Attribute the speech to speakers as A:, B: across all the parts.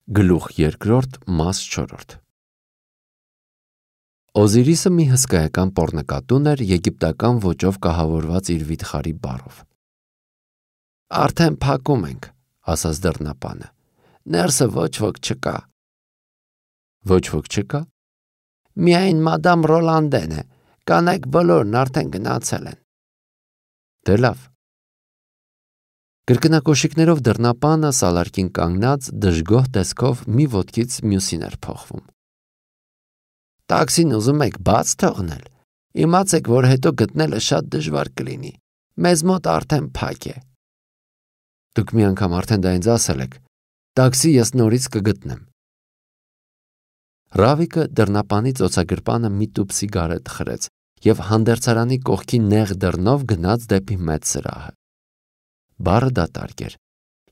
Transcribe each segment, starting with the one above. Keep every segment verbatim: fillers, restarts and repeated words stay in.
A: Գլուխ երկրորդ, մաս չորրորդ։ Օզիրիսը մի հսկայական պոռնկատուն էր եգիպտական ոճով կահավորված իր վիթխարի բառով։ Արդեն փակում ենք, ասաց դռնապանը։ Ներսը ոչ ոք չկա։ Ոչ ոք չկա։ Միայն մադամ Ռոլանդեն է, կանայք բոլորն արդեն գնացել են։ Դե լավ։ Կրկնակոշիկներով դռնապանը սալարկին կանգնած դժգոհ տեսքով մի ոտքից մյուսին էր փոխվում։ Տաքսին ուզում եք բաց թողնել։ Իմացեք, որ հետո գտնելը շատ դժվար կլինի։ Մեզ մոտ արդեն փակ է։ Դուք մի անգամ արդեն դա ինձ ասել եք։ Տաքսի ես նորից կգտնեմ։ Ռավիկը դռնապանի ծոցագրպանը մի տուփ սիգարետ խրեց եւ հանդերձարանի կողքի նեղ դռնով գնաց դեպի մեծ սրահը։ Բառը դատարկ էր,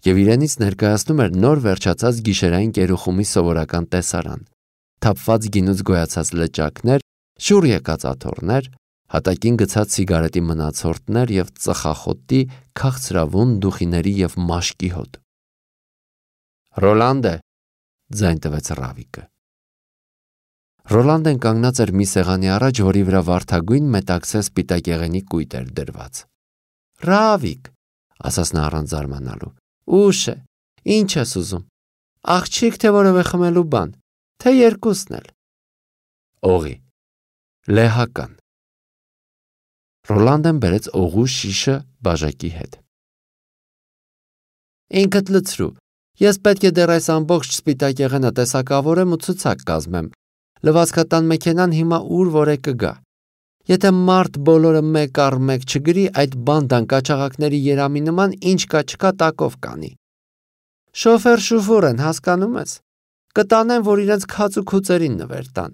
A: եւ իրենից ներկայացնում էր նոր վերջացած գիշերային կերուխումի սովորական տեսարան, թափված գինուց գոյացած լճակներ, շուռ եկած աթոռներ, հատակին գցած սիգարետի մնացորդներ եւ ծխախոտի, քաղցրավուն դուխիների եւ մաշկի հոտ։ Ռոլանդե, ձայն տվեց Ռավիկը։ Ռոլանդեն կանգնած էր մի սեղանի առաջ, որի վրա վարդագույն մետաքսե սպիտակեղենի կույտ էր դրված։ Ռավիկ, ասաց նա առանց զարմանալու։ Ուշ է, ինչ ես ուզում։ Աղջիկ թե որևէ խմելու բան, թե երկուսն էլ։ Օղի, լեհական։ Ռոլանդեն բերեց օղու շիշը բաժակի հետ։ Ինքդ լցրու, ես պետք է դեռ այս ամբողջ սպիտակեղենը տեսակավորեմ ու ցուցակ կազմեմ։ Լվացքատան մեքենան հիմա ուր որ է կգա։ Եթե մարդ բոլորը մեկ առ մեկ չգրի, այդ բանդան կաչաղակների երամի նման ինչ կա չկա տակով կանի։ Շոֆեր շուֆուր են, հասկանում ես։ Կտանեն, որ իրենց քաց ու քուծերին նվեր տան։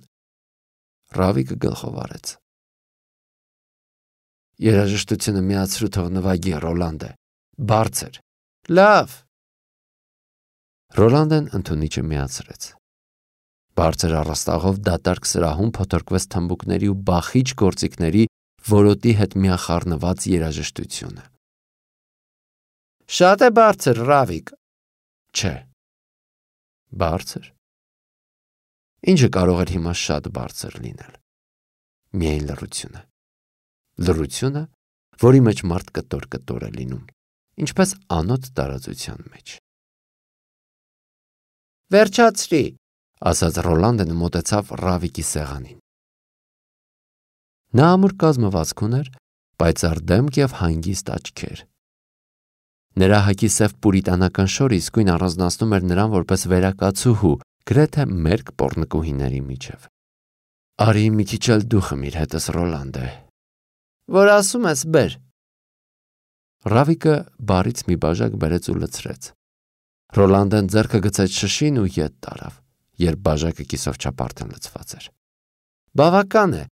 A: Ռավիկը գլխով արեց։ Երաժշտությունը միացրու թող նվագի, Ռոլանդե։ Բարձր։ Լավ։ Ռոլանդեն ընդունիչը միացրեց։ Բարձր առաստաղով դատարկ սրահում փոթորկվեց թմբուկների ու բախիչ գործիքների որոտի հետ միախառնված երաժշտությունը։ Շատ է բարձր, Ռավիկ։ Չէ։ Բարձր։ Ինչը կարող էր հիմա շատ բարձր լինել։ Միայն լռությունը։ Լռությունը, որի մեջ մարդ կտոր-կտոր է լինում, ինչպես անոտ տարածության մեջ։ Վերջացրի, ասաց Ռոլանդեն ու մոտեցավ Ռավիկի սեղանին։ Նա ամուր կազմվածք ուներ, պայծառ դեմք եւ հանգիստ աչքեր։ Նրա հագի սև պուրիտանական շորը իսկույն առանձնացնում էր նրան որպես վերակացուհու, գրեթե մերկ պոռնկուհիների միջև։ Արի մի քիչ էլ դու խմիր հետս, Ռոլանդե։ Որ ասում ես, բեր։ Ռավիկը բարից մի բաժակ բերեց ու լցրեց։ Ռոլանդեն ձեռքը գցեց շշին ու ետ տարավ, երբ բաժակը կիսով չափ լցված էր։ Բավական է,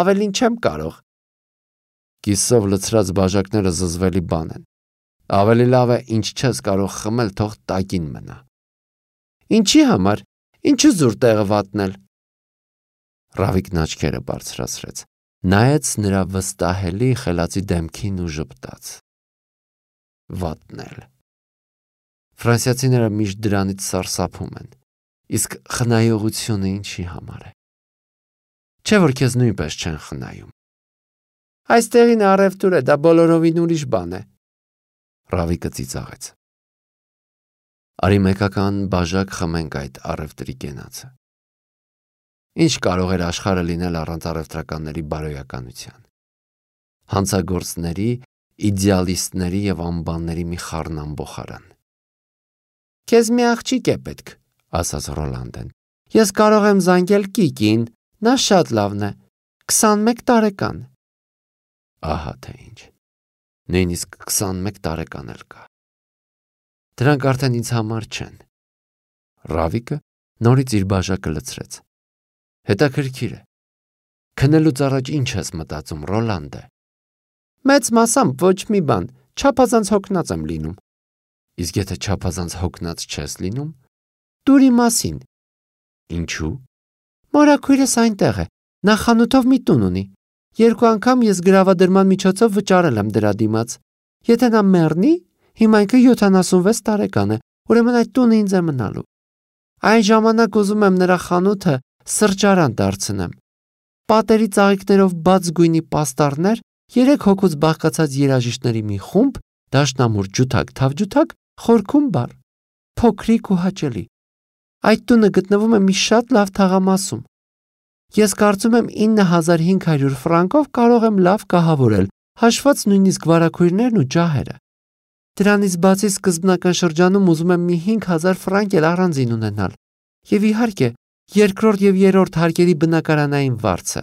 A: ավելին չեմ կարող։ Կիսով լցրած բաժակները զզվելի բան են։ Ավելի լավ է, ինչ չես կարող խմել, թող տակին մնա։ Ինչի համար, ինչու զուր տեղը վատնել։ Ռավիկն աչքերը բարձրացրեց, նայեց նրա վստահելի խելացի դեմքին ու ժպտաց։ Վատնել։ Ֆրանսիացիները միշտ դրանից սարսափում են, իսկ խնայողությունը ինչի համար է։ Չէ՞ որ քեզ նույնպես չեն խնայում։ Այստեղին առևտուր է, դա բոլորովին ուրիշ բան է։ Ռավիկը ծիծաղեց։ Արի մեկական բաժակ խմենք այդ առևտրի կենացը։ Ինչ կարող էր աշխարհը լինել առանց առևտրականների բարոյականության։ Հանցագործների, իդեալիստների եւ անբանների մի խառնամբոխարան։ Քեզ մի աղջիկ է պետք, ասաց Ռոլանդեն։ Ես կարող եմ զանգել Կիկին, նա շատ լավն է, քսանմեկ տարեկան։ Ահա թե ինչ։ Նույնիսկ քսանմեկ տարեկան էլ կա։ Դրանք արդեն ինձ համար չեն։ Ռավիկը նորից իր բաժակը լցրեց։ Հետաքրքիր է։ Քնելուց առաջ ինչ ես մտածում, Ռոլանդե։ Մեծ մասամբ ոչ մի բան, չափազանց հոգնած եմ լինում։ Իսկ եթե չափազանց հոգնած չես լինում, դուրի մասին։ Ինչու։ Մորաքույրս այնտեղ է, նա խանութով մի տուն ունի։ Երկու անգամ ես գրավադրման միջոցով վճարել եմ դրա դիմաց։ Եթե նա մեռնի, հիմա ինքը յոթանասունվեց տարեկան է, ուրեմն այդ տունը ինձ է մնալու։ Այն ժամանակ ուզում եմ նրա խանութը սրճարան դարձնեմ։ Պատերի ծաղիկներով բաց գույնի պաստառներ, երեք հոգուց բաղկացած երաժիշտների մի խումբ, դաշնամուր ջութակ թավջութակ, խորքում բար, փոքրիկ ու հաճելի։ Այդ տունը գտնվում է մի շատ լավ թաղամասում։ Ես կարծում եմ ինը հազար հինգ հարյուր ֆրանկով կարող եմ լավ կահավորել, հաշված նույնիսկ վարագույրներն ու ջահերը։ Դրանից բացի սկզբնական շրջանում ուզում եմ մի հինգ հազար ֆրանկ էլ առանձին ունենալ։ Եվ իհարկե, երկրորդ եւ երրորդ հարկերի բնակարանային վարձը։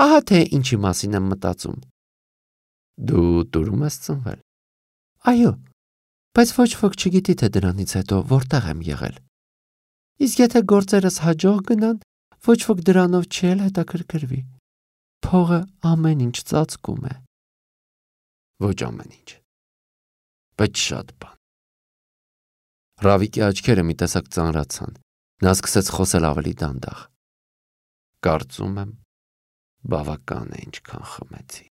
A: Ահա թե ինչի մասին եմ մտածում։ Դու դուրում ես ծնվել։ Այո, բայց ոչ ոք չգիտի, թե դրանից հետո որտեղ եմ եղել։ Իսկ եթե գործերս հաջող գնան, ոչ ոք դրանով չի էլ հետաքրքրվի։ Փողը ամեն ինչ ծածկում է։ Ոչ ամեն ինչ, բայց շատ բան։ Ռավիկի աչքերը մի տեսակ ծանրացան։ Նա սկսեց խոսել ավելի դանդաղ։ Կարծում եմ, բավական է ինչքան խմեցի,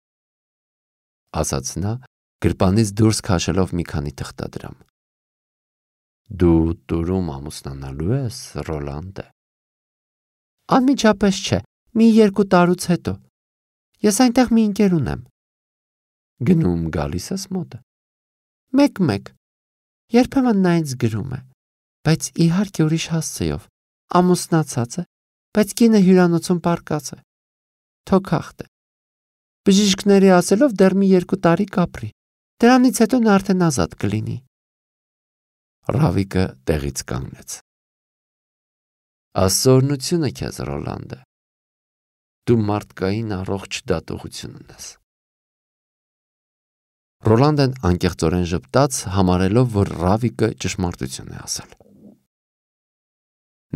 A: ասաց նա, գրպանից դուրս քաշելով մի քանի թղթադրամ։ Դու տուրում ամուսնանալու ես, Ռոլանդը։ Անմիջապես չէ, մի երկու տարուց հետո։ Ես այնտեղ մի ընկեր ունեմ։ Գնում գալիս ես մոտը։ Մեկ-մեկ։ Երբեմն նա ինձ գրում է, բայց իհարկե ուրիշ հասցեով, ամուսնացած է, բայց կինը հյուրանոցում պարկած է։ Թոքախտ է։ Բժիշկների ասելով դեռ մի երկու տարի կապրի։ Դրանից հետո նա արդեն ազատ կլինի։ Ռավիկը տեղից կանգնեց։ Ասորնությունը քեզ, Ռոլանդը։ Դու մարդկային առողջ դատողություն ունես։ Ռոլանդն անկեղծորեն ժպտաց, համարելով, որ Ռավիկը ճշմարտություն է ասել։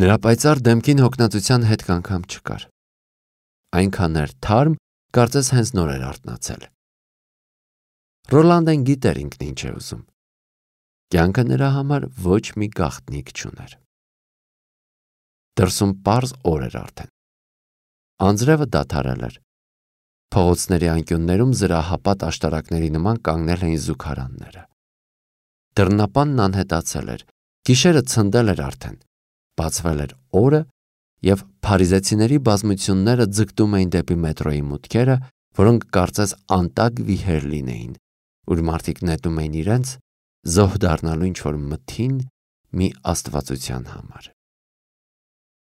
A: Նրա պայծառ դեմքին հոգնածության հետք անգամ չկար։ Այնքան էր թարմ, կարծես հենց նոր էր արթնացել։ Ռոլանդն գիտեր ինքն ինչ է ուզում։ Կյանքը նրա համար ոչ մի գաղտնիք չուներ։ Դրսում պարզ օր էր արդեն։ Անձրևը դադարել էր։ Փողոցների անկյուններում զրահապատ աշտարակների նման կանգնել էին զուգարանները։ Դռնապանն անհետացել էր, գիշերը ցնդել էր արդեն, բացվել էր օրը և փարիզեցիների բազմությունները ձգտում էին դեպի մետրոյի մուտքերը, որոնք կարծես անտակ վիհեր լինեին, ուր մարդիկ նետում էին իրենց, զոհ դառնալու ինչ-որ մթին մի աստվածության համար։